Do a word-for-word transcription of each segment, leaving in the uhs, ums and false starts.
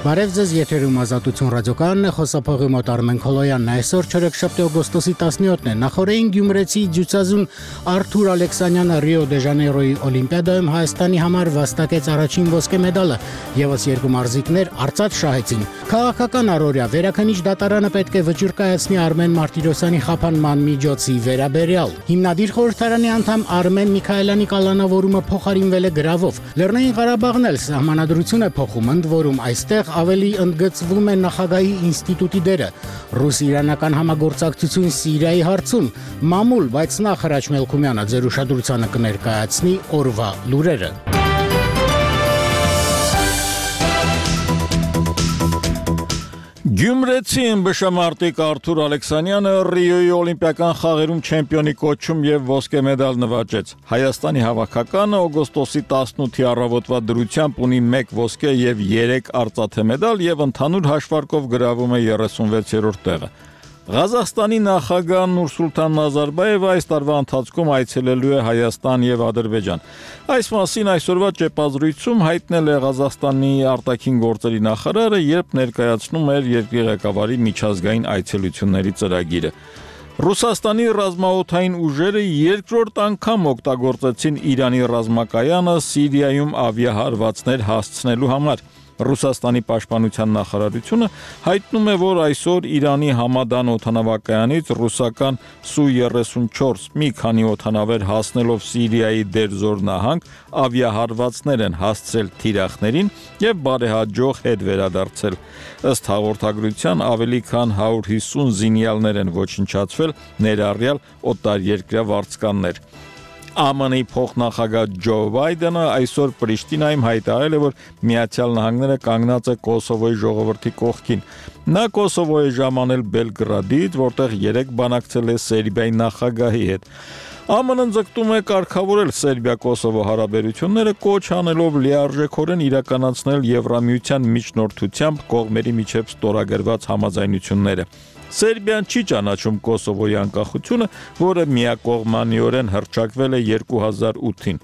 Բարև ձեզ, եթերում Ազատություն ռադիոկայանն է, խոսափողի մոտ Արմեն Քոլոյանն է, այսօր չորեքշաբթի օգոստոսի տասնյոթն է, նախորդին Գյումրեցի ձյուծազուն Արթուր Ալեքսանյանը Ռիո դե Ժանեյրոյի Օլիմպիադայում Հայաստանի համար վաստակեց առաջին ոսկե մեդալը, ևս երկու մարզիկներ արծաթ շահեցին։ Քաղաքական առօրյա վերաքննիչ դատարանը պետք է վճիռ կայացնի Արմեն Մարտիրոսյանի խափանման միջոցի վերաբերյալ։ Հիմնադիր խորհրդարանի անդամ Արմեն Միքայելյանի կալանավորումը փոխարինվել է գրավով։ Լեռնային Ղարաբաղն էլ սահմանադրություն է փոխում, ընդ որում այստեղ ավելի ընդգծվում է նախագահի ինստիտուտի դերը։ Ռուս-իրանական համագործակցություն Սիրիայի հարցում մամուլ, բայց նախ Հրաչ Մելքումյանը ձեր ուշադրությանը կներկայացնի օրվա լուրերը։ Գյումրեցի ըմբշամարտիկ Արթուր Ալեքսանյանը Ռիոյի օլիմպիական խաղերում չեմպիոնի կոչում եւ ոսկե մեդալ նվաճեց։ Հայաստանի հավաքականը օգոստոսի տասնութի առավոտվա դրությամբ ունի մեկ ոսկե եւ երեք արծաթե մեդալ եւ ընդհանուր հաշվարկով գրավում է երեսունվեցերորդ տեղը։ Ղազախստանի նախագահ Նուրսուլտան Նազարբաևը այս տարվա ընթացքում այցելելու է Հայաստան եւ Ադրբեջան։ Այս մասին այսօրվա ճեպազրույցում հայտնել է Ղազախստանի արտաքին գործերի նախարարը, երբ ներկայացնում էր երկրի ղեկավարի միջազգային այցելությունների ծրագիրը։ Ռուսաստանի ռազմաօդային ուժերը երկրորդ անգամ օգտագործեցին Իրանի ռազմակայանը Սիրիայում ավիահարվածներ հասցնելու համար։ Ռուսաստանի պաշտպանության նախարարությունը հայտնում է, որ այսօր Իրանի Համադան օդանավակայանից ռուսական Սու երեսունչորս մի քանի օդանավեր հասնելով Սիրիայի Դերզոր նահանգ ավիահարվածներ են հասցրել թիրախներին եւ բարեհաջող հետ վերադարձել։ Ըստ հաղորդագրության ավելի քան հարյուր հիսուն զինյալներ են ոչնչացվել, ներառյալ օտարերկրյա վարձկաններ։ ԱՄՆ-ի փոխնախագահ Ջո Բայդենը այսօր Պրիշտինայում հայտարարել է, որ Միացյալ Նահանգները կանգնած է Կոսովոյի ժողովրդի կողքին։ Նա Կոսովո է ժամանել Բելգրադից, որտեղ երեկ բանակցել է Սերբիայի նախագահի հետ։ ԱՄՆ-ն ձգտում է կարգավորել Սերբիա-Կոսովո հարաբերությունները, կոչ անելով լիարժեքորեն իրականացնել Եվրամիության միջնորդությամբ կողմերի միջև ստորագրված համաձայնությունները։ Սերբիան չի ճանաչում Կոսովոյի անկախությունը, որը միակողմանիորեն հռչակվել է երկու հազար ութին։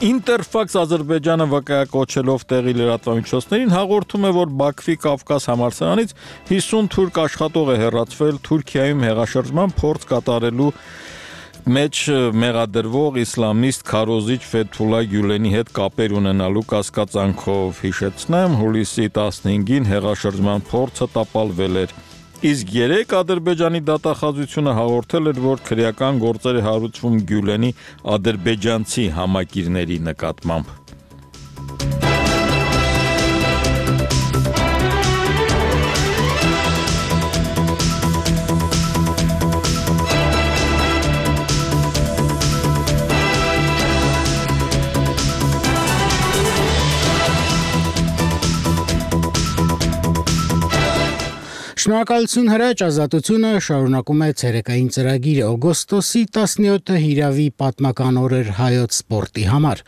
Ինտերֆաքս Ադրբեջանը վկայակոչելով տեղի լրատվամիջոցներին հաղորդում է, որ Բաքվի Կավկաս համալսարանից հիսուն թուրք աշխատող է հեռացվել Թուրքիայում հեղաշրջման փորձ կատարելու մեջ մեղադրվող իսլամիստ քարոզիչ Ֆեթուլա Գյուլենի հետ կապեր ունենալու կասկածանքով։ Հիշեցնեմ, հուլիսի տասնհինգին հեղաշրջման փորձը տապալվել էր։ Իսկ երեք Ադրբեջանի դատախազությունը հաղորդել էր, որ քրեական գործեր է հարուցվում Գյուլենի ադրբեջանցի համակիրների նկատմամբ։ Շնորհակալություն Հրաչ, Ազատությունը շարունակում է ցերեկային ծրագիրը։ Օգոստոսի տասնյոթը հիրավի պատմական օր էր հայոց սպորտի համար։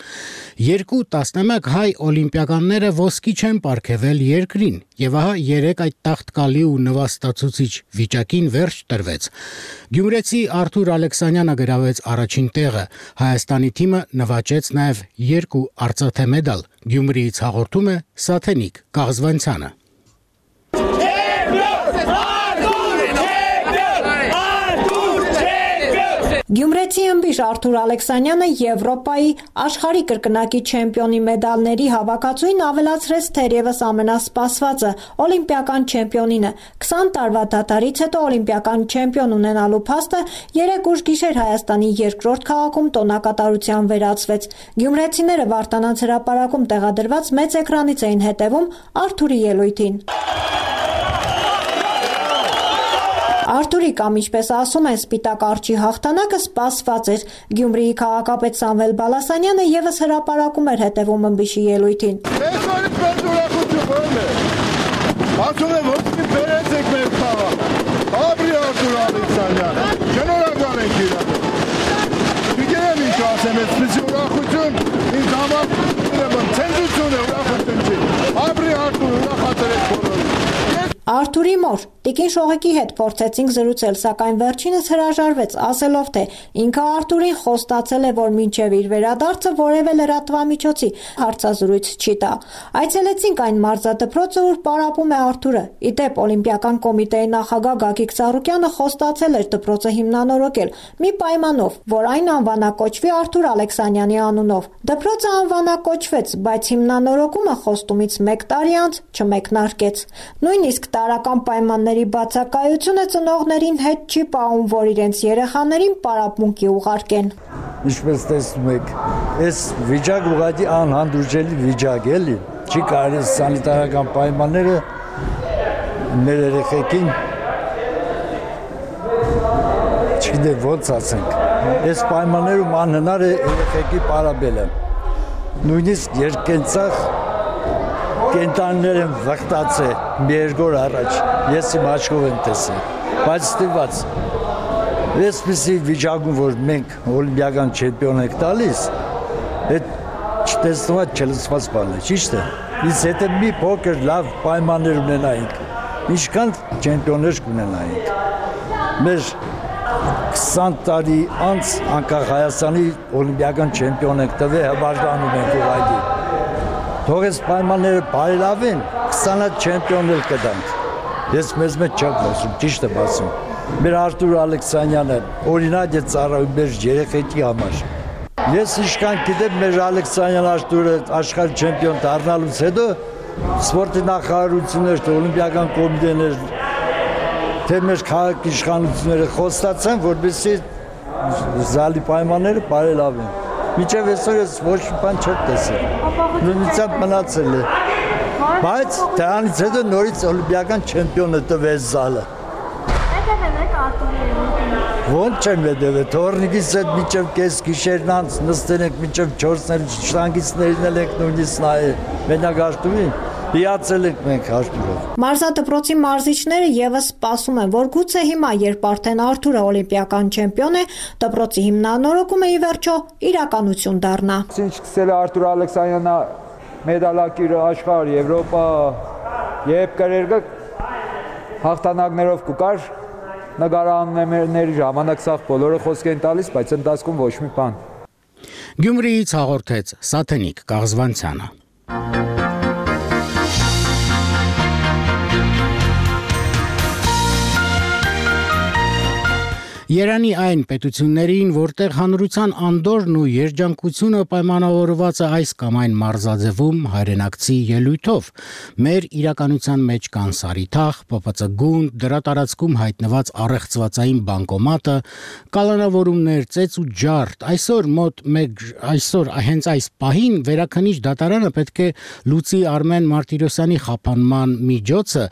Երկու տասնմեկ հայ օլիմպիականները ոսկի չեն պարգևել երկրին, եւ ահա երեք այդ տաղտկալի ու նվաստացուցիչ վիճակին վերջ տրվեց։ Գյումրեցի Արթուր Ալեքսանյանը գրավեց առաջին տեղը։ Հայաստանի թիմը նվաճեց նաեւ երկու արծաթե մեդալ։ Գյումրիից հաղորդում է Սաթենիկ Կաղզվանցյանը։ Գյումրեցի ըմբիշ Արթուր Ալեքսանյանը Եվրոպայի աշխարհի կրկնակի չեմպիոնի մեդալների հավաքածուին ավելացրեց թերևս ամենասպասվածը՝ օլիմպիական չեմպիոնինը։ քսան տարվա դատարից հետո օլիմպիական չեմպիոն ունենալու փաստը երեկ ուշ գիշեր Հայաստանի երկրորդ քաղաքում տոնակատարության վերածվեց։ Գյումրեցիները Վարդանանց հրապարակում տեղադրված մեծ էկրանից էին հետևում Արթուրի ելույթին։ Արթուրի կամ ինչպես ասում են սպիտակ արջի հաղթանակը սպասված էր։ Գյումրիի քաղաքապետ Սամվել Բալասանյանը եւս հրապարակում էր հետևում ըմբիշի ելույթին։ Այսօրից մեծ ուրախություն ո՞րն է։ Ասում եմ ոսկի բերեցեք մեր քաղաք։ Ապրի Արթուր Ալեքսանյանը։ Շնորհակալ ենք իրան։ Գիտեմ ինչ ասեմ, այսպեսի ուրախություն ինձ համար ցենզուրություն է, ուրախություն չի։ Ապրի Արթուր, ուրախացրեք բոլորին։ Արթուրի մոր Տիկին Շողեկի հետ փորձեցինք զրուցել, սակայն վերջինս հրաժարվեց, ասելով, թե ինքը Արթուրին խոստացել է, որ մինչև իր վերադարձը որևէ լրատվամիջոցի հարցազրույց չի տա։ Այցելեցինք այն մարզադպրոցը, ուր պարապում է Արթուրը։ Ի դեպ, Օլիմպիական կոմիտեի նախագահ Գագիկ Ծառուկյանը խոստացել էր դպրոցը հիմնանորոգել, մի պայմանով, որ այն անվանակոչվի Արթուր Ալեքսանյանի անունով։ Դպրոցը անվանակոչվեց, բայց հիմնանորոգումը խոստումից մեկ տարի անց չմեկնարկեց։ Նույնիսկ տարրական պայմանների բացակայությունը ծնողներին հետ չի պահում, որ իրենց երեխաներին պարապմունքի ուղարկեն։ Ինչպես տեսնում եք, այս վիճակ ուղղակի անհանդուրժելի վիճակ է, էլի։ Չի կարելի սանիտարական պայմանները մեր երեխեքին չգիտեմ ոնց ասենք։ Այս պայմաններում անհնար է երեխեքի պարապելը։ Նույնիսկ երկենցաղ կենտանիներ են վխտացել մի երկու օր առաջ, ես իմ աչքով եմ տեսել, բայց ստիպված, այսպիսի վիճակում, որ մենք օլիմպիական չեմպիոն ենք տալիս, այդ չտեսնված չլսված բան է, ճիշտ է, իսկ եթե մի փոքր լավ պայմաններ ունենայինք, ինչքան չեմպիոններ կունենայինք, մեր քսան տարի անց անկախ Հայաստանի օլիմպիական չեմպիոն ենք տվել, հպարտանում ենք ուղղակի։ Թող այս պայմանները բարելավեն, քսան չեմպիոն էլ կտանք։ Ես մեզ մեջ չեմ խոսում, ճիշտ եմ ասում։ Մեր Արթուր Ալեքսանյանը օրինակ է ծառայում մեր երեխեքի համար։ Ես ինչքան գիտեմ, մեր Ալեքսանյան Արթուրը աշխարհի չեմպիոն դառնալուց հետո սպորտի նախարարություններ, օլիմպիական կոմիտեներ, թե մեր քաղաքի իշխանությունները խոստացան, որպեսզի զալի պայմանները բարելավեն։ Մինչև այսօր ես ոչ մի բան չեմ տեսել։ Նույնիսկ մնացել է։ Բայց դրանից հետո նորից օլիմպիական չեմպիոնը տվեց զալը։ Հետևել եք Արթուրի։ Ոնց չեմ հետևել, թորնիկից հետ մինչև կես գիշերն անց նստել ենք մինչև չորսներ, շտանգիցներին ենք նույնիսկ նայել։ Մենակ Արթուրին հիացել ենք մենք Արթուրով։ Մարզադպրոցի մարզիչները եւս սպասում են, որ գուցե հիմա, երբ արդեն Արթուրը օլիմպիական չեմպիոն է, դպրոցի հիմնանորոգումը ի վերջո իրականություն դառնա։ Ինչ սկսել է Արթուր Ալեքսանյանը մեդալակիր աշխարհ, Եվրոպա, երբ կրերգը հաղթանակներով կուկար, նկարանների ժամանակ սաղ բոլորը խոսք են տալիս, բայց ընթացքում ոչ մի բան։ Գյումրիից հաղորդեց Սաթենիկ Կաղզվանցյանը։ Երանի այն պետություններին, որտեղ հանրության անդորն ու երջանկությունը պայմանավորված է այս կամ այն մարզաձևում հայրենակցի ելույթով, մեր իրականության մեջ կան Սարիթաղ, Պ Պ Ց գունդ, դրա տարածքում հայտնված առեղծվածային բանկոմատը, կալանավորումներ, ծեծ ու ջարդ, այսօր մոտ մեկ այսօր հենց այս պահին վերաքննիչ դատարանը պետք է լուծի Արմեն Մարտիրոսյանի խափանման միջոցը,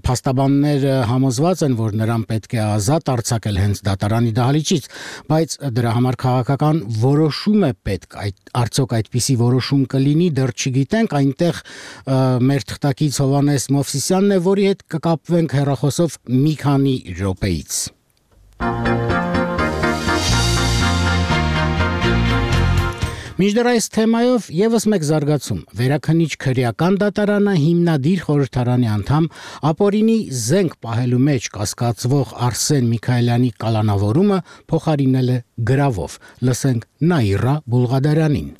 փաստաբանները համոզված են, որ նրան պետք է ազատ արձակել հենց դատարանի դահլիճից, բայց դրա համար քաղաքական որոշում է պետք, այդ արդյոք այդպիսի որոշում կլինի, դեռ չգիտենք, այնտեղ մեր թղթակից Հովհաննես Մովսիսյանն է, որի հետ կկապվենք հեռախոսով մի քանի րոպեից։ Մինչդեռ այս թեմայով եւս մեկ զարգացում։ Վերաքննիչ քրեական դատարանը հիմնադիր խորհրդարանի անդամ ապօրինի զենք պահելու մեջ կասկածվող Արսեն Միքայելյանի կալանավորումը փոխարինել է գրավով։ Լսենք Նաիրա Բուլղադարյանին։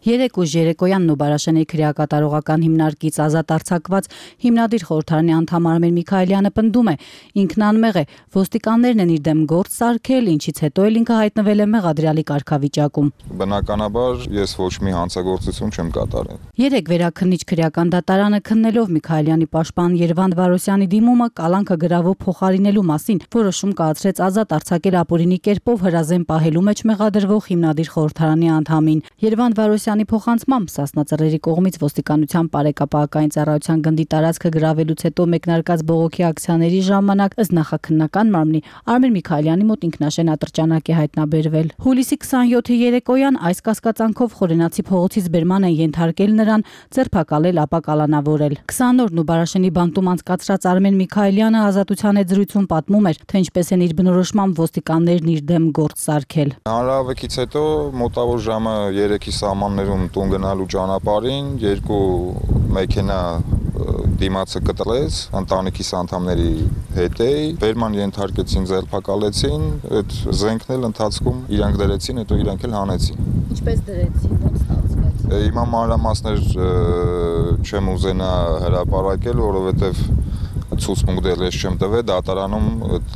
Երեք ուժ երեկոյան Նոբարաշենի քրեակատարողական հիմնարկից ազատ արձակված հիմնադիր խորհրդարանի անդամ Արմեն Միքայելյանը պնդում է, ինքն անմեղ է, ոստիկաններն են իր դեմ գործ սարքել, ինչից հետո էլ ինքը հայտնվել է մեղադրյալի կարգավիճակում։ Բնականաբար ես ոչ մի հանցագործություն չեմ կատարել։ Երեք վերաքննիչ քրեական դատարանը քննելով Միքայելյանի պաշտպան Երվանդ Վարոսյանի դիմումը կալանքը գրավով փոխարինելու մասին որոշում կայացրեց ազատ արձակել ապօրինի կերպով հրազեն պահելու մեջ մեղադրվող հիմնադիր խորհրդարանի անդամին։ Երվանդ Վարոսյանի փոխանցմամբ Սասնա Ծռերի կողմից ոստիկանության բարեկապահական ծառայության գնդի տարածքը գրավելուց հետո մեկնարկած բողոքի ակցիաների ժամանակ ըստ նախաքննական մարմնի Արմեն Միքայելյանի մոտ ինքնաշեն ատրճանակ է հայտնաբերվել։ Հուլիսի քսանյոթի երեկոյան այս կասկածանքով Խորենացի փողոցից բերման են ենթարկել նրան, ձերբակալել, ապա կալանավորել։ քսան օրն ու Բարաշենի բանտում անցկացրած Արմեն Միքայելյանը ազատության հետ զրույցում պատմում էր, թե ինչպես են իր բնորոշմամբ ոստիկաններն իր դեմ գործ սարքել։ Հանրահավաքից հետո մոտավոր ժամը երեքի սահմաններում տուն գնալու ճանապարհին երկու մեքենա դիմացը կտրեց, ընտանիքիս անդամների հետ էի, բերման ենթարկեցին, ձերբակալեցին, այդ զենքն էլ ընթացքում իրանք դրեցին, հետո իրանք էլ հանեցին։ Ինչպես դրեցին, ո՞նց ստացվեց։ Հիմա մանրամասներ չեմ ուզենա հրապարակել, որովհետև ցուցմունք դեռ ես չեմ տվել, դատարանում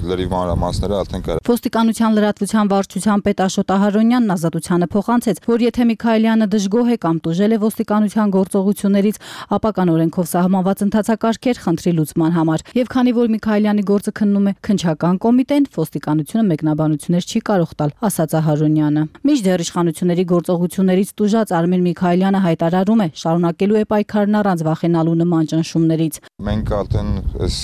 լրիվ մանրամասները արդեն կա։ Ոստիկանության լրատվության վարչության պետ Աշոտ Ահարոնյանն ազատությանը փոխանցեց, որ եթե Միքայելյանը դժգոհ է կամ տուժել է ոստիկանության գործողություններից, ապա կան օրենքով սահմանված ընթացակարգեր խնդրի լուծման համար։ Եվ քանի որ Միքայելյանի գործը քննում է քննչական կոմիտեն, ոստիկանությունը մեկնաբանություններ չի կարող տալ, ասաց Ահարոնյանը։ Մինչդեռ իշխանությունների գործողություններից տուժած Արմեն Միքայելյանը հայտարարում է, շարունակելու է պայքարն առանց վախենալու նման ճնշումներից։ Մենք արդեն այս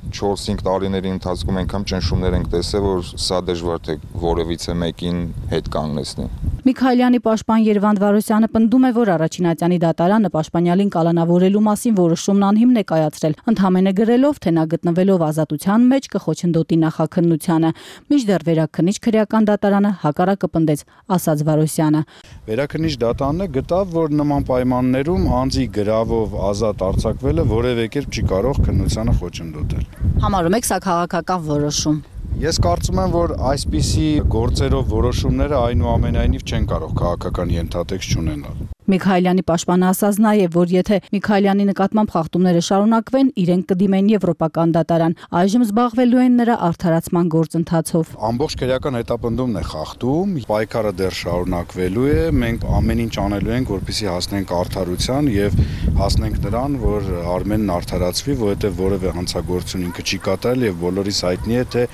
չորս-հինգ տարիների ընթացքում այնքան ճնշումներ ենք տեսել, որ սա դժվար թե որևիցե մեկին հետ կանգնեցնի։ Միքայելյանի պաշտպան Երվանդ Վարոսյանը պնդում է, որ առաջին ատյանի դատարանը պաշտպանյալին կալանավորելու մասին որոշումն անհիմն է կայացրել, ընդհանրապես գրելով, թե նա գտնվելով ազատության մեջ կխոչընդոտի նախաքննությանը։ Մինչդեռ վերաքննիչ քրեական դատարանը հակառակը պնդեց, ասաց Վարոսյանը։ Վերաքննիչ դատարանը գտավ, որ նման պայմաններում անձի գրավով ազատ արձակվելը որևէ կերպ չի կարող քննությանը խոչընդոտել։ Համարում եք սա քաղաքական որոշում։ Ես կարծում եմ, որ այսպիսի գործերով որոշումները այնուամենայնիվ չեն կարող քաղաքական ենթատեքստ չունենալ։ Միքայելյանի պաշտպանը ասաց նաև, որ եթե Միքայելյանի նկատմամբ խախտումները շարունակվեն, իրենք կդիմեն եվրոպական դատարան։ Այժմ զբաղվելու են նրա արդարացման գործընթացով։ Ամբողջ քրեական հետապնդումն է խախտում, պայքարը դեռ շարունակվելու է, մենք ամեն ինչ անելու ենք, որպեսզի հասնենք արդարության եւ հասնենք նրան, որ Արմենն արդարացվի, որովհետեւ որևէ հանցագործություն ինքը չի կատարել եւ բոլորիս հայտնի է, թե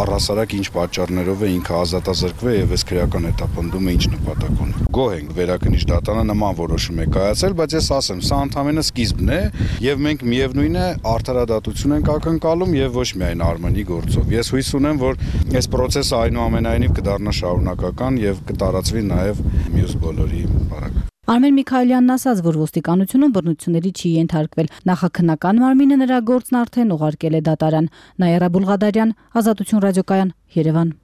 առհասարակ ինչ պատճառներով է ինքը ազատազրկվել եւ այս քրեական հետապնդումը ինչ նպատակ ունի։ Գոհ ենք վերաքննիչ դատարանը որոշում է կայացել, բայց ես ասեմ, սա ընդհանրապես սկիզբն է եւ մենք միևնույն է արդարադատություն ենք ակնկալում եւ ոչ միայն Արմենի գործով։ Ես հույս ունեմ, որ այս process-ը այնուամենայնիվ կդառնա շարունակական եւ կտարածվի նաեւ մյուս բոլորի բարակ։ Արմեն Միքայելյանն ասաց, որ ոստիկանությունը բռնությունների չի ենթարկվել։ Նախաքննական մարմինը նրա գործն արդեն ուղարկել է դատարան։ Նաիրա Բուլղադարյան, Ազատություն ռադիոկայան, Երևան։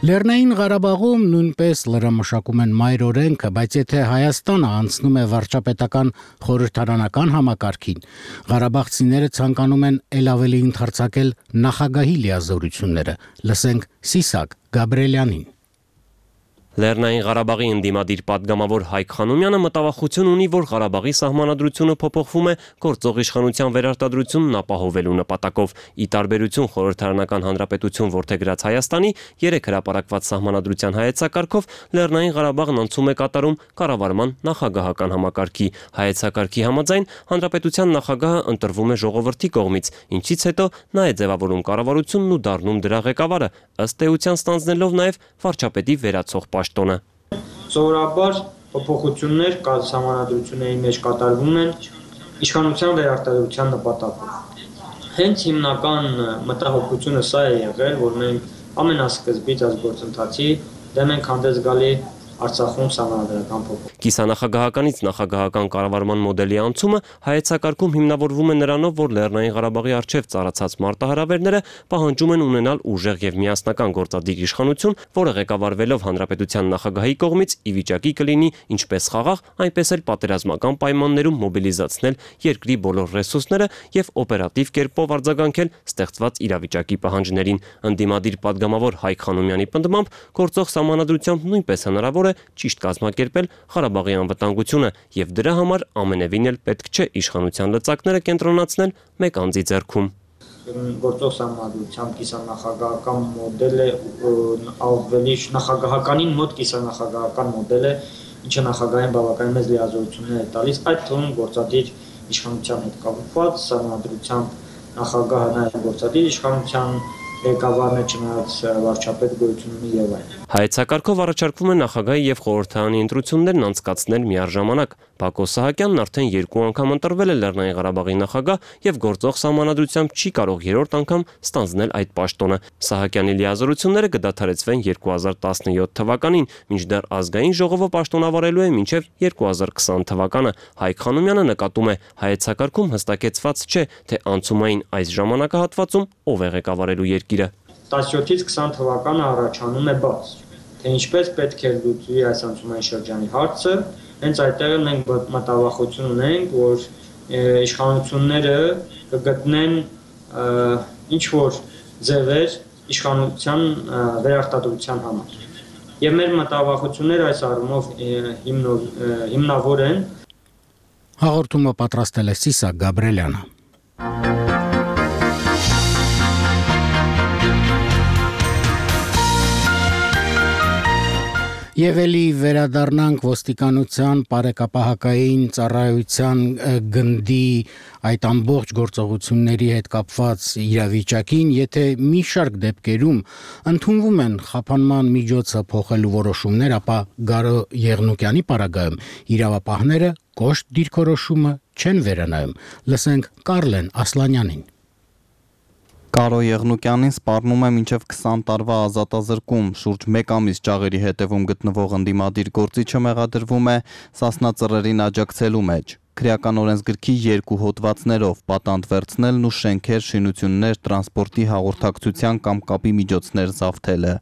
Լեռնային Ղարաբաղում նույնպես լրամշակում են մայր օրենքը, բայց եթե Հայաստանը անցնում է վարչապետական խորհրդարանական համակարգին, ղարաբաղցիները ցանկանում են ել ավելի ընդարձակել նախագահի լիազորությունները։ Լսենք Սիսակ Գաբրելյանին։ Լեռնային Ղարաբաղի ընդդիմադիր պատգամավոր Հայկ Խանոմյանը մտավախություն ունի, որ Ղարաբաղի սահմանադրությունը փոփոխվում է գործող իշխանության վերարտադրությունն ապահովելու նպատակով։ Ի տարբերություն խորհրդարանական հանրապետություն որդեգրած Հայաստանի երեք հրապարակված սահմանադրության հայեցակարգով Լեռնային Ղարաբաղն անցում է կատարում կառավարման նախագահական համակարգի։ Հայեցակարգի համաձայն հանրապետության նախագահը ընտրվում է ժողովրդի կողմից, ինչից հետո նա է ձևավորում կառավարությունն ու դառնում դրա ղեկավարը, ըստ էության ստանձնելով նաև վարչապետի վերացող պաշտոնը։ Սովորաբար փոփոխություններ սահմանադրությունների մեջ կատարվում են իշխանության վերարտադրության նպատակով։ Հենց հիմնական մտահոգությունը սա է եղել, որ մենք ամենասկզբից այս գործընթացի դեմ ենք հանդես գալի Արցախում սահմանադրական փոփոխություն։ Կիսանախագահականից նախագահական կառավարման մոդելի անցումը հայեցակարգում հիմնավորվում է նրանով, որ Լեռնային Ղարաբաղի առջև ծառացած մարտահրավերները պահանջում են ունենալ ուժեղ եւ միասնական գործադիր իշխանություն, որը ղեկավարվելով հանրապետության նախագահի կողմից ի վիճակի կլինի ինչպես խաղաղ, այնպես էլ պատերազմական պայմաններում մոբիլիզացնել երկրի բոլոր ռեսուրսները եւ օպերատիվ կերպով արձագանքել ստեղծված իրավիճակի պահանջներին։ Ընդդիմադիր պատգամավոր Հայկ Խանոմյանի պնդմամբ գործող սահմանադրությամբ նույնպես հնարավոր է ճիշտ կազմակերպել Ղարաբաղի անվտանգությունը եւ դրա համար ամենևին էլ պետք չէ իշխանության լծակները կենտրոնացնել մեկ անձի ձեռքում։ Գործող սահմանադրությամբ կիսանախագահական մոդելը ավելի նախագահականին մոտ կիսանախագահական մոդել է, ինչը նախագահային բավականին մեծ լիազորություններ է տալիս, այդ թվում գործադիր իշխանության հետ կապված սահմանադրությամբ նախագահը նաև գործադիր իշխանության ղեկավարն է, չնայած վարչապետ գոյություն ունի եւ այլն։ Հայեցակարգով առաջարկվում է նախագահի եւ խորհրդարանի ընտրություններն անցկացնել միառժամանակ։ Բակո Սահակյանն արդեն երկու անգամ ընտրվել է Լեռնային Ղարաբաղի նախագահ եւ գործող սահմանադրությամբ չի կարող երրորդ անգամ ստանձնել այդ պաշտոնը։ Սահակյանի լիազորությունները կդադարեցվեն երկու հազար տասնյոթ թվականին, մինչդեռ ազգային ժողովը պաշտոնավարելու է մինչև երկու հազար քսան թվականը։ Հայկ Խանոմյանը նկատում է, հայեցակարգում հստակեցված չէ, թե անցումային այս ժամանակահատվածում ով է ղեկավարելու երկիրը։ տասնյոթից քսան թվականը առաջանում է բաց, թե ինչպես պետք է լուծվի այս անցումային շրջանի հարցը, հենց այդտեղ էլ մենք մտավախություն ունենք, որ իշխանությունները կգտնեն ինչ որ ձևեր իշխանության վերարտադրության համար։ Եվ մեր մտավախությունները այս առումով հիմնավոր են։ Հաղորդումը պատրաստել է Սիսակ Գաբրելյանը։ Եվ էլի վերադառնանք ոստիկանության բարեկապահակային ծառայության գնդի այդ ամբողջ գործողությունների հետ կապված իրավիճակին, եթե մի շարք դեպքերում ընդունվում են խափանման միջոցը փոխելու որոշումներ, ապա Գարո Եղնուկյանի պարագայում իրավապահները կոշտ դիրքորոշումը չեն վերանայում։ Լսենք Կարլեն Ասլանյանին։ Կարո Եղնուկյանին սպառնում է մինչև քսան տարվա ազատազրկում, շուրջ մեկ ամիս ճաղերի հետևում գտնվող ընդդիմադիր գործիչը մեղադրվում է սասնածռերին աջակցելու մեջ, քրեական օրենսգրքի երկու հոդվածներով պատանդ վերցնելն ու շենքեր, շինություններ, տրանսպորտի հաղորդակցության կամ կապի միջոցներ զավթելը։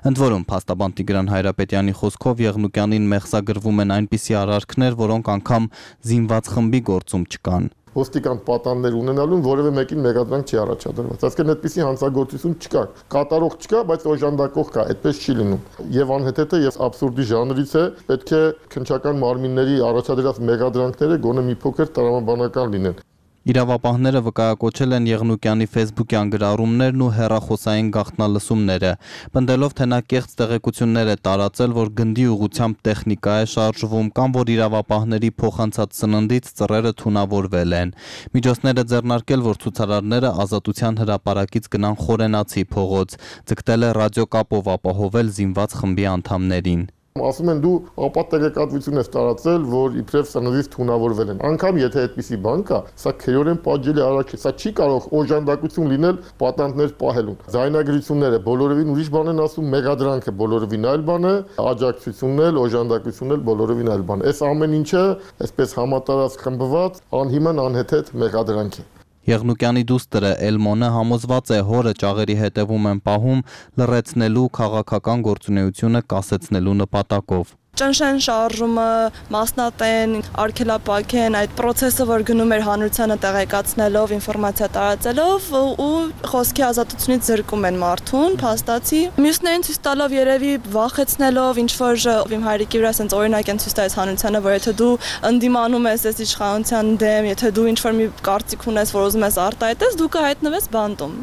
Ընդ որում, փաստաբան Տիգրան Հայրապետյանի խոսքով Եղնուկյանին մեղսագրվում են այնպիսի արարքներ, որոնք անգամ զինված խմբի գործում չկան։ Ոստիկան պատաններ ունենալուն որևէ մեկին մեղադրանք չի առաջադրված։ Այսինքն այդպիսի հանցագործություն չկա, կատարող չկա, բայց օժանդակող կա, այդպես չի լինում։ Եվ անհեթեթը եւ աբսուրդի ժանրից է, պետք է քննչական մարմինների առաջադրած մեղադրանքները գոնե մի փոքր տրամաբանական լինեն։ Իրավապահները վկայակոչել են Եղնուկյանի ֆեյսբուքյան գրառումներն ու հեռախոսային գաղտնալսումները, պնդելով, թե նա կեղծ տեղեկություններ է տարածել, որ գնդի ուղղությամբ տեխնիկա է շարժվում կամ որ իրավապահների փոխանցած սննդից ծռերը թունավորվել են։ Միջոցները ձեռնարկել, որ ցուցարարները Ազատության հրապարակից գնան Խորենացի փողոց, ձգտել է ռադիոկապով ապահովել զինված խմբի անդամներին։ Ասում են դու ապատտեղեկատվություն ես տարածել, որ իբրև սննդից թունավորվել են։ Անկամ եթե այդպիսի բան կա, սա քերորեն պատժելի արարք է, սա չի կարող օժանդակություն լինել պատանդներ պահելուն։ Ձայնագրությունները բոլորովին ուրիշ բան են ասում, մեղադրանքը բոլորովին այլ բան է, աջակցությունն էլ, օժանդակությունն էլ բոլորովին այլ բան։ Այս ամեն ինչը, այսպես համատարած խմբված, անհիմն անհեթեթ մեղադրանք է։ Եղնուկյանի դուստրը Էլմոնը համոզված է հորը ճաղերի հետևում են պահում լռեցնելու քաղաքական գործունեությունը կասեցնելու նպատակով։ Ճնշեն շարժումը, մասնատեն, արգելապակեն այդ process-ը, որ գնում էր հանրությանը տեղեկացնելով, ինֆորմացիա տարածելով ու խոսքի ազատությունից զրկում են մարդուն, փաստացի։ Մյուսներին ցույց տալով երևի վախեցնելով, ինչ որ իմ հայրիկի վրա sense օրինակ են ցույց տալիս հանրությանը, որ եթե դու ընդդիմանում ես այս իշխանության դեմ, եթե դու ինչ որ մի կարծիք ունես, որ ուզում ես արտահայտես, դու կհայտնվես բանտում։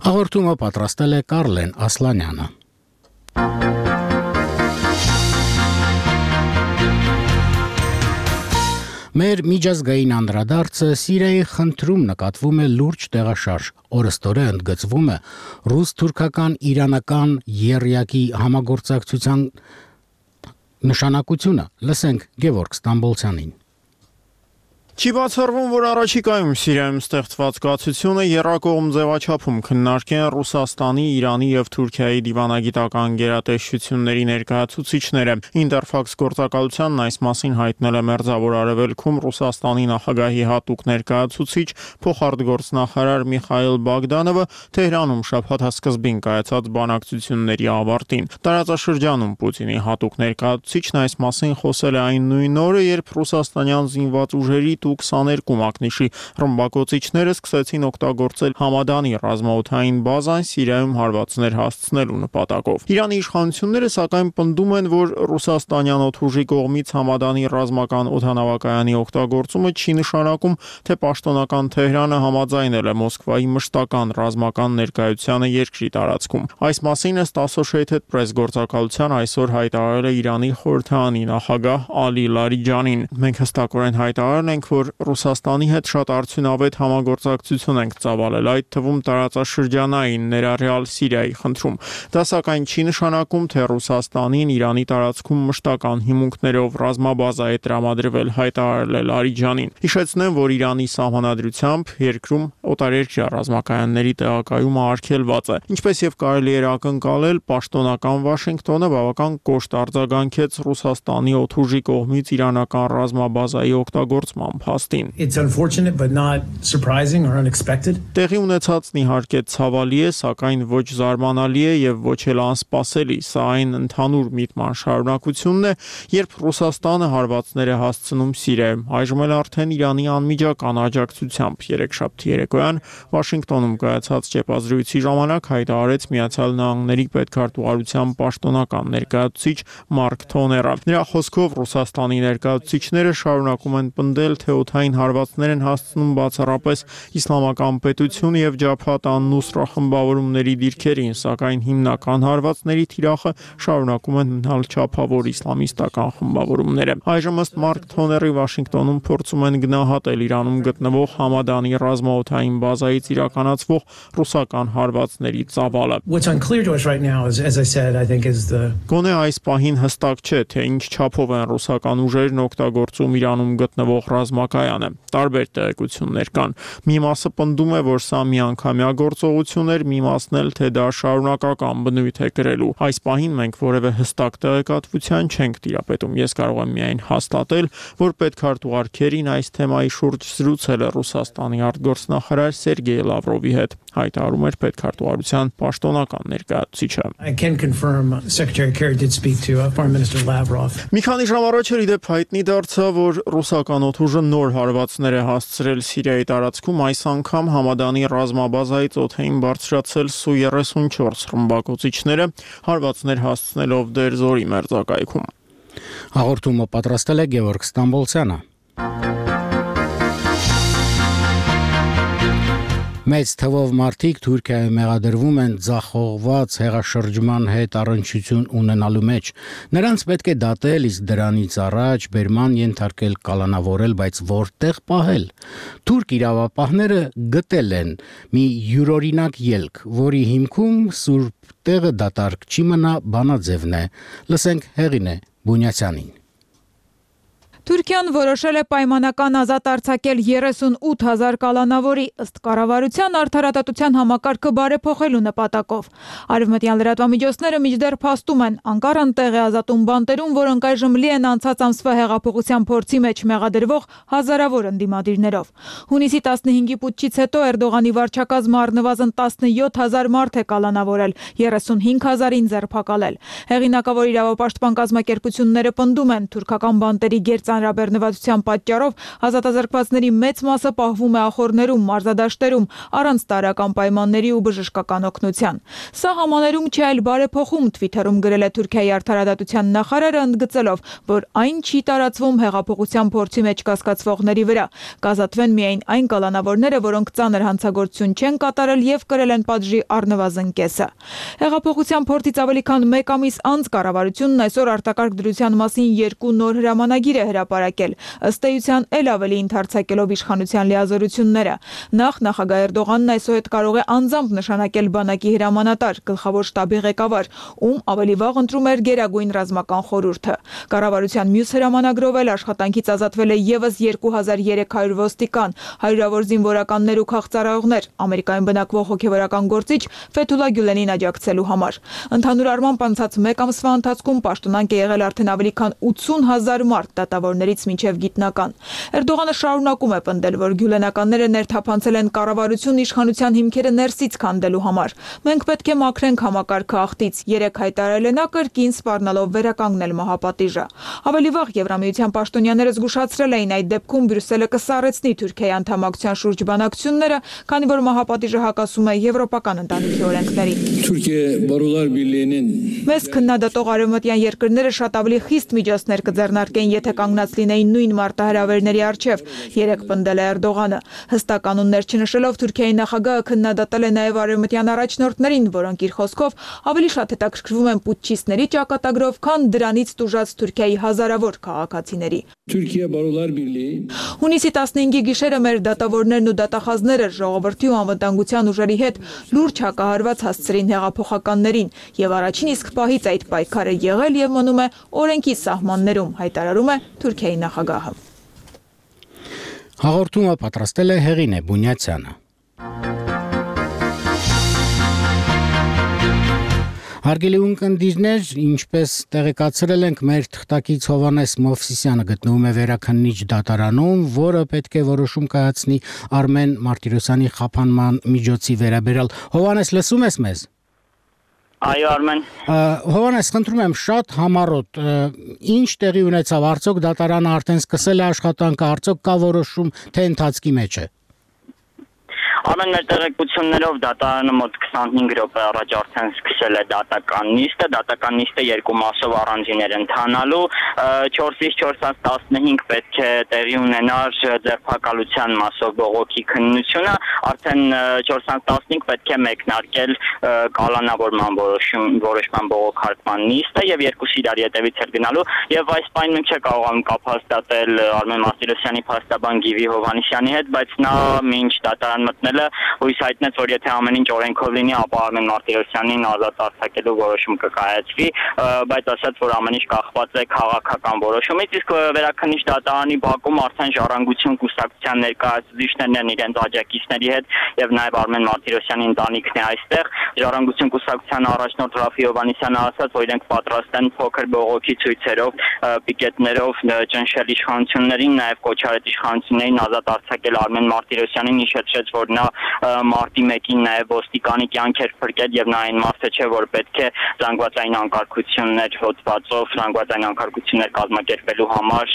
Հաղորդումը պատրաստել է Կարլեն Ասլանյանը։ Մեր միջազգային անդրադարձը Սիրիայի խնդրում նկատվում է լուրջ տեղաշարժ, օրըստօրե ընդգծվում է ռուս-թուրքական իրանական եռյակի համագործակցության նշանակությունը։ Լսենք Գևորգ Ստամբոլցյանին։ Չի բացառվում, որ առաջիկայում Սիրիայում ստեղծված կացությունը եռակողմ ձևաչափում քննարկեն Ռուսաստանի, Իրանի եւ Թուրքիայի դիվանագիտական գերատեսչությունների ներկայացուցիչները։ Ինտերֆաքս գործակալությանն այս մասին հայտնել է Մերձավոր Արևելքում Ռուսաստանի նախագահի հատուկ ներկայացուցիչ փոխարտգործնախարար Միխայիլ Բագդանովը Թեհրանում շաբաթասկզբին կայացած բանակցությունների ավարտին։ Տարածաշրջանում Պուտինի հատուկ ներկայացուցիչն այս մասին խոսել է այն նույն օրը, երբ ռուսաստանյան զինված ուժերի քսաներկու մակնիշի ռմբակոծիչները սկսեցին օգտագործել Համադանի ռազմաօդային բազան Սիրիայում հարվածներ հասցնելու նպատակով։ Իրանի իշխանությունները սակայն պնդում են, որ ռուսաստանյան օդուժի կողմից Համադանի ռազմական օդանավակայանի օգտագործումը չի նշանակում, թե պաշտոնական Թեհրանը համաձայնել է Մոսկվայի մշտական ռազմական ներկայությանը երկրի տարածքում։ Այս մասին ըստ Associated Press գործակալության այսօր հայտարարել է Իրանի խորհրդարանի նախագահ Ալի Լարիջանին։ Մենք հստակորեն հայտարարել ենք, որ Ռուսաստանի հետ շատ արդյունավետ համագործակցություն ենք ծավալել, այդ թվում տարածաշրջանային ներառյալ Սիրիայի խնդրում։ Դա սակայն չի նշանակում, թե Ռուսաստանին Իրանի տարածքում մշտական հիմունքներով ռազմաբազա է տրամադրվել, հայտարարել է Լարիջանին։ Հիշեցնեմ, որ Իրանի սահմանադրությամբ երկրում օտարերկրյա ռազմակայանների տեղակայումը արգելված է։ Ինչպես եւ կարելի էր ակնկալել, պաշտոնական Վաշինգտոնը բավական կոշտ արձագանքեց Ռուսաստանի օդուժի կողմից իրանական ռազմաբազայի օգտագործման փաստին։ It's unfortunate but not surprising or unexpected. Տեղի ունեցածն իհարկե ցավալի է, սակայն ոչ զարմանալի է եւ ոչ էլ անսպասելի։ Սա այն ընդհանուր միտման շարունակությունն է, երբ Ռուսաստանը հարվածներ է հասցնում Սիրիայում։ Այժմ էլ արդեն Իրանի անմիջական աջակցությամբ երեքշաբթի երեկոյան Վաշինգտոնում կայացած ճեպազրույցի ժամանակ հայտարարեց Միացյալ Նահանգների պետքարտուղարության պաշտոնական ներկայացուցիչ Մարկ Թոները։ Նրա խոսքով Ռուսաստանի ներկայացուցիչները շարունակում են պնդել, թե օդային հարվածներ են հասցնում բացառապես իսլամական պետություն եւ Ջաբհաթ ան-Նուսրա խմբավորումների դիրքերին, սակայն հիմնական հարվածների թիրախը շարունակում են մնալ չափավոր իսլամիստական խմբավորումները։ Այժմ ըստ Մարկ Թոների Վաշինգտոնում փորձում են գնահատել Իրանում գտնվող Համադանի ռազմաօդային բազայից իրականացվող ռուսական հարվածների ծավալը։ What's unclear to us right now is, as I said, I think is the Գոնե այս պահին հստակ չէ, թե ինչ չափով են ռուսական ուժերն օգտագործում Իրանում գտնվող ռազմակայանը։ Տարբեր տեղեկություններ կան։ Մի մասը պնդում է, որ սա միանգամյա գործողություն էր, մի մասն էլ, թե դա շարունակական բնույթ է կրելու։ Այս պահին մենք որևէ հստակ տեղեկատվության չենք տիրապետում։ Ես կարող եմ միայն հաստատել, որ պետքարտուղար Քերին այս թեմայի շուրջ զրուցել է Ռուսաստանի արտգործնախարար Սերգեյ Լավրովի հետ, հայտարարում էր պետքարտուղարության պաշտոնական ներկայացուցիչը։ I can confirm Secretary Kerry did speak to uh, Foreign Minister Lavrov. Մի քանի ժամ առաջ էր իդեպ հայտնի դարձավ, որ ռուսական օդուժը նոր հարվածներ է հասցրել Սիրիայի տարածքում, այս անգամ Համադանի ռազմաբազայից օդային բարձրացել Սու երեսունչորս ռմբակոծիչները, հարվածներ հասցնելով Դերզորի մերձակայքում։ Հաղորդումը պատրաստել է Գևորգ Ստամբոլցյանը։ Մեծ թվով մարդիկ Թուրքիայում մեղադրվում են ձախողված հեղաշրջման հետ առնչություն ունենալու մեջ։ Նրանց պետք է դատել, իսկ դրանից առաջ բերման ենթարկել, կալանավորել, բայց որտեղ պահել։ Թուրք իրավապահները գտել են մի յուրօրինակ ելք, որի հիմքում սուրբ տեղը դատարկ չի մնա, բանաձևն է։ Լսենք Հեղինե Բունյացյանին։ Թուրքիան որոշել է պայմանական ազատ արձակել երեսունութ հազար կալանավորի, ըստ կառավարության արդարադատության համակարգը բարեփոխելու նպատակով։ Արևմտյան լրատվամիջոցները մինչդեռ փաստում են, Անկարան տեղ է ազատում բանտերում, որոնք այժմ լի են անցած ամսվա հեղափոխության փորձի մեջ մեղադրվող հազարավոր ընդդիմադիրներով։ Հունիսի տասնհինգի պուտչից հետո Էրդողանի վարչակազմը առնվազն տասնյոթ հազար մարդ է կալանավորել, երեսունհինգ հազարին ձերբակալել։ Հեղինակավոր իրավապաշտպան կազմակերպությունները պնդում են, թուրքական բանտերի գերծ Հանրաբեռնվածության պատճառով ազատազրկվածների մեծ մասը պահվում է ախորներում, մարզադաշտերում, առանց տարրական պայմանների ու բժշկական օգնության։ Սա համաներում չէ, այլ բարեփոխում, Թվիթերում գրել է Թուրքիայի արդարադատության նախարարը, ընդգծելով, որ այն չի տարածվում հեղափոխության փորձի մեջ կասկածվողների վրա։ Կազատվեն միայն այն կալանավորները, որոնք ծանր հանցագործություն չեն կատարել եւ կրել են պատժի առնվազն կեսը։ Հեղափոխության փորձից ավելի քան մեկ ամիս անց կառավարությունն այսօր արտակարգ դրության մասին երկու նոր հրամանագիր է հրապարակել, ըստ էության էլ ավելի ընդարձակելով իշխանության լիազորությունները։ Նախ նախագահ Էրդողանն այսօր կարող է անձամբ նշանակել բանակի հրամանատար, գլխավոր շտաբի ղեկավար, ում ավելի վաղ ընտրում էր Գերագույն ռազմական խորհուրդը։ Կառավարության մյուս հրամանագրով էլ աշխատանքից ազատվել է եւս երկու հազար երեք հարյուր ոստիկան, հարյուրավոր զինվորականներ ու քաղցարայողներ, Ամերիկայում բնակվող հոգեվորական գործիչ Ֆեթուլա Գյուլենին աջակցելու համար։ Ընդհանուր առմամբ անցած մեկ ամսվա ընթացքում պաշտոնանկ է եղել արդեն ավելի քան ութսուն հազար մարդ, դատավորներից մինչև գիտնական։ Էրդողանը շարունակում է պնդել, որ գյուլենականները ներթափանցել են կառավարություն իշխանության հիմքերը ներսից քանդելու համար։ Մենք պետք է մաքրենք համակարգը աղտից, երեք հայտարարել է նա, կրկին սպառնալով վերականգնել մահապատիժը։ Ավելի վաղ Եվրամիության պաշտոնյաները զգուշացրել էին, այդ դեպքում Բրյուսելը կսառեցնի Թուրքիայի անդամակցության շուրջ բանակցությունները, քանի որ մահապատիժը հակասում է եվրոպական ընտանիքի օրենքներին։ Թուրքիա բարոյlar Birliği'nin Մեզ քննադատող արևմտյան երկրները շատ ավելի խիստ միջոցներ կձեռնարկեն, եթե կանգնած լինեին նույն մարտահրավերների առջև, երեք պնդել է Էրդողանը։ Հստակ կանոններ չնշելով Թուրքիայի նախագահը քննադատել է նաև արևմտյան առաջնորդներին, որոնք իր խոսքով ավելի շատ հետաքրքրվում են պուտչիստների ճակատագրով, քան դրանից տուժած Թուրքիայի հազարավոր քաղաքացիների։ Türkiye Barolar Birliği Հունիսի տասնհինգի գիշերը մեր դատավորներն ու դատախազները ժողովրդի ու անվտանգության ուժերի հետ լուրջ հակահարված հասցրին հեղափոխականներին, եւ առաջին իսկ պահից այդ պայքարը եղել եւ մնում է օրենքի սահմաններում, հայտարարում է Թուրքիայի նախագահը։ Հաղորդումը պատրաստել է Հեղինե Բունյացյանը։ Հարգելի ունկնդիրներ, ինչպես տեղեկացրել ենք, մեր թղթակից Հովհաննես Մովսիսյանը գտնվում է վերաքննիչ դատարանում, որը պետք է որոշում կայացնի Արմեն Մարտիրոսյանի խափանման միջոցի վերաբերյալ։ Հովհաննես, լսում ես մեզ։ Այո, Արմեն։ Հովհաննես, խնդրում եմ շատ համառոտ, ինչ տեղի ունեցավ, արդյոք դատարանը արդեն սկսել է աշխատանքը, արդյոք կա որոշում, թե ընթացքի մեջ է։ Ամեն մեր տեղեկություններով դատարանը մոտ քսանհինգ րոպե առաջ արդեն սկսել է դատական նիստը, դատական նիստը երկու մասով առանձին ընթանալու, չորսից չորսից տասնհինգ պետք է տեղի ունենար ձերբակալության մասով բողոքի քննությունը, արդեն չորսից տասնհինգ պետք է մեկնարկել կալանավորման որոշման բողոքարկման նիստը եւ երկուսի իրար ետևից էր գնալու եւ այս պայն մենք չկարողանում կապ հաստատել Արմեն Մարտիրոսյանի փաստաբան Գիվի Հովհաննիսյանի հետ, բայց նա մինչ դատարան մտնել հույս հայտնեց, որ եթե ամեն ինչ օրենքով լինի, ապա Արմեն Մարտիրոսյանին ազատ արձակելու որոշում կկայացվի, բայց ասաց, որ ամեն ինչ կախված է քաղաքական որոշումից, իսկ վերաքննիչ դատարանի բակում արդեն ժառանգություն կուսակցության ներկայացուցիչներն են իրենց աջակիցների հետ եւ նաեւ Արմեն Մարտիրոսյանի ընտանիքն է այստեղ։ Ժառանգություն կուսակցության առաջնորդ Ռաֆի Հովհաննիսյանը ասաց, որ իրենք պատրաստ են փոքր բողոքի ցույցերով, պիկետներով ճնշել իշխանություններին, նաեւ կոչարել իշխանություններին ազատ արձակել Արմեն Մարտիրոսյանին, հիշեցրեց, որ նա մարտի մեկին նաև ոստիկանի կյանք էր փրկել եւ նա այն մարդը չէ, որ պետք է զանգվածային անկարգություններ հոդվածով զանգվածային անկարգություններ կազմակերպելու համար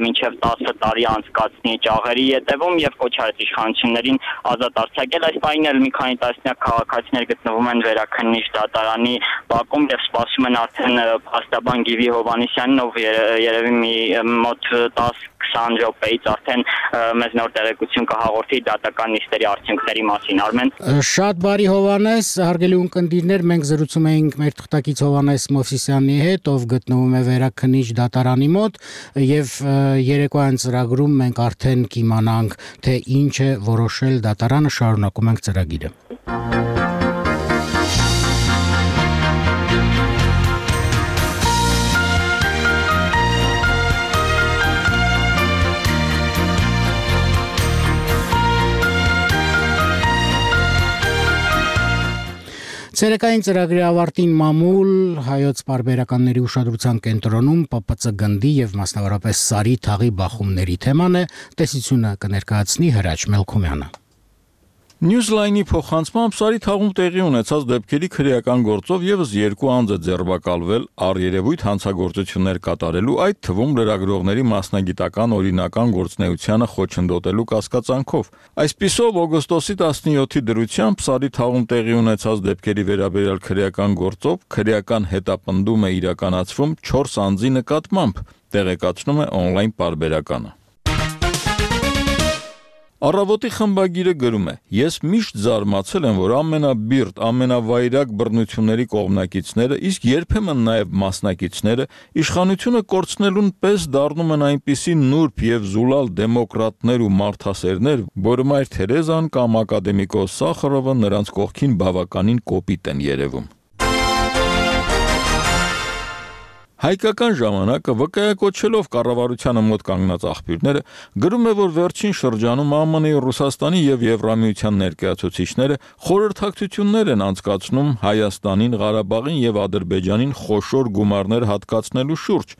մինչեւ տասը տարի անցկացնի ճաղերի ետևում եւ կոչարեց իշխանություններին ազատ արձակել։ Այս պահին էլ մի քանի տասնյակ քաղաքացիներ գտնվում են վերաքննիչ դատարանի բակում եւ սպասում են արդեն փաստաբան Գիվի Հովհաննիսյանին, ով երևի մի մոտ տասը քսան րոպեից արդեն մեզ նոր տեղեկություն կհաղորդի դատական նիստերի արդյունքների մասին, Արմեն։ Շատ բարի Հովհաննես, հարգելի ունկնդիրներ, մենք զրուցում էինք մեր թղթակից Հովհաննես Մովսիսյանի հետ, ով գտնվում է վերաքննիչ դատարանի մոտ, եւ երեկոյան ծրագրում մենք արդեն կիմանանք, թե ինչ է որոշել դատարանը, շարունակում ենք ծրագիրը։ Ցերեկային ծրագրի ավարտին մամուլ հայոց պարբերականների ուշադրության կենտրոնում Պ Պ Ց գնդի եւ մասնավորապես Սարի թաղի բախումների թեման է, տեսությունը կներկայացնի Հրաչ Մելքոմյանը։ Newsline-ի փոխանցմամբ Սարի թաղում տեղի ունեցած դեպքերի քրեական գործով եւս երկու անձ է ձերբակալվել առերևույթ հանցագործություններ կատարելու, այդ թվում լրագրողների մասնագիտական օրինական գործունեությանը խոչընդոտելու կասկածանքով։ Այսպիսով օգոստոսի տասնյոթի դրությամբ Սարի թաղում տեղի ունեցած դեպքերի վերաբերյալ քրեական գործով քրեական հետապնդում է իրականացվում չորս անձի նկատմամբ, տեղեկացնում է on-line պարբերականը։ Առավոտի խմբագիրը գրում է. Ես միշտ զարմացել եմ, որ ամենաբիրտ, ամենավայրագ բռնությունների կողմնակիցները, իսկ երբեմն նաև մասնակիցները իշխանությունը կորցնելուն պես դառնում են այնպիսի նուրբ եւ զուլալ դեմոկրատներ ու մարդասերներ, որ Մայր Թերեզան կամ ակադեմիկոս Սախարովը նրանց կողքին բավականին կոպիտ են երևում։ Հայկական ժամանակը վկայակոչելով կառավարությանը մոտ կանգնած աղբյուրները գրում է, որ վերջին շրջանում Ա Մ Ն-ի, Ռուսաստանի եւ Եվրամիության ներկայացուցիչները խորհրդակցություններ են անցկացնում Հայաստանին, Ղարաբաղին եւ Ադրբեջանին խոշոր գումարներ հատկացնելու շուրջ։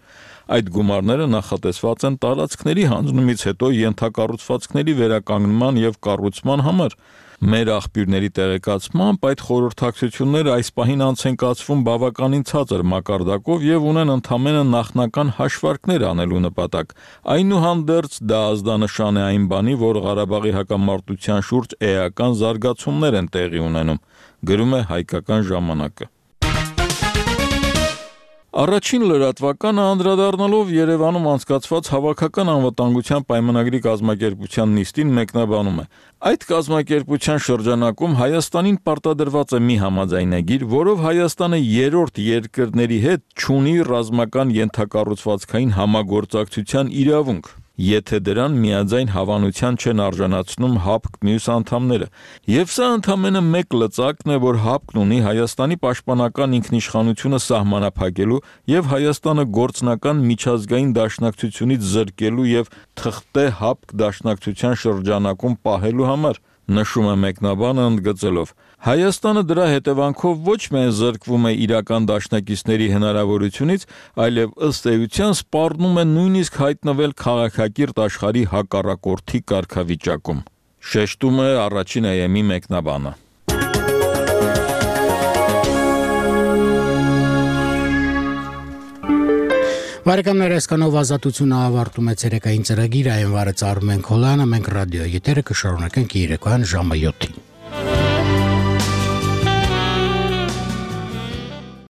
Այդ գումարները նախատեսված են տարածքների հանձնումից հետո ենթակառուցվածքների վերականգնման եւ կառուցման համար։ Մեր աղբյուրների տեղեկացմամբ այդ խորհրդակցությունները այս պահին անց են կացվում բավականին ցածր մակարդակով եւ ունեն ընդամենը նախնական հաշվարկներ անելու նպատակ։ Այնուհանդերձ դա ազդանշան է այն բանի, որ Ղարաբաղի հակամարտության շուրջ էական զարգացումներ են տեղի ունենում, գրում է Հայկական ժամանակը։ Առաջին լրատվականը անդրադառնալով Երևանում անցկացված հավաքական անվտանգության պայմանագրի կազմակերպության նիստին մեկնաբանում է. Այդ կազմակերպության շրջանակում Հայաստանին պարտադրված է մի համաձայնագիր, որով Հայաստանը երրորդ երկրների հետ չունի ռազմական ենթակառուցվածքային համագործակցության իրավունք, եթե դրան միաձայն հավանության չեն արժանացնում ՀԱՊԿ մյուս անդամները։ Եվ սա ընդամենը մեկ լծակն է, որ ՀԱՊԿ-ն ունի Հայաստանի պաշտպանական ինքնիշխանությունը սահմանափակելու եւ Հայաստանը գործնական միջազգային դաշնակցությունից զրկելու եւ թղթե ՀԱՊԿ դաշնակցության շրջանակում պահելու համար, նշում է մեկնաբանը ընդգծելով. Հայաստանը դրա հետևանքով ոչ միայն զրկվում է իրական դաշնակիցների հնարավորությունից, այլև ըստ էության սպառնում է նույնիսկ հայտնվել քաղաքակիրթ աշխարհի հակառակորդի կարգավիճակում։ Շեշտում է առաջին Է Էմ-ի մեկնաբանը։ Բարեկամներ, այսքանով ազատությունը ավարտում է ցերեկային ծրագիրը, այն վարեց Արմեն Քոլյանը, մենք ռադիո եթերը կշարունակենք երեկոյան ժամը յոթին։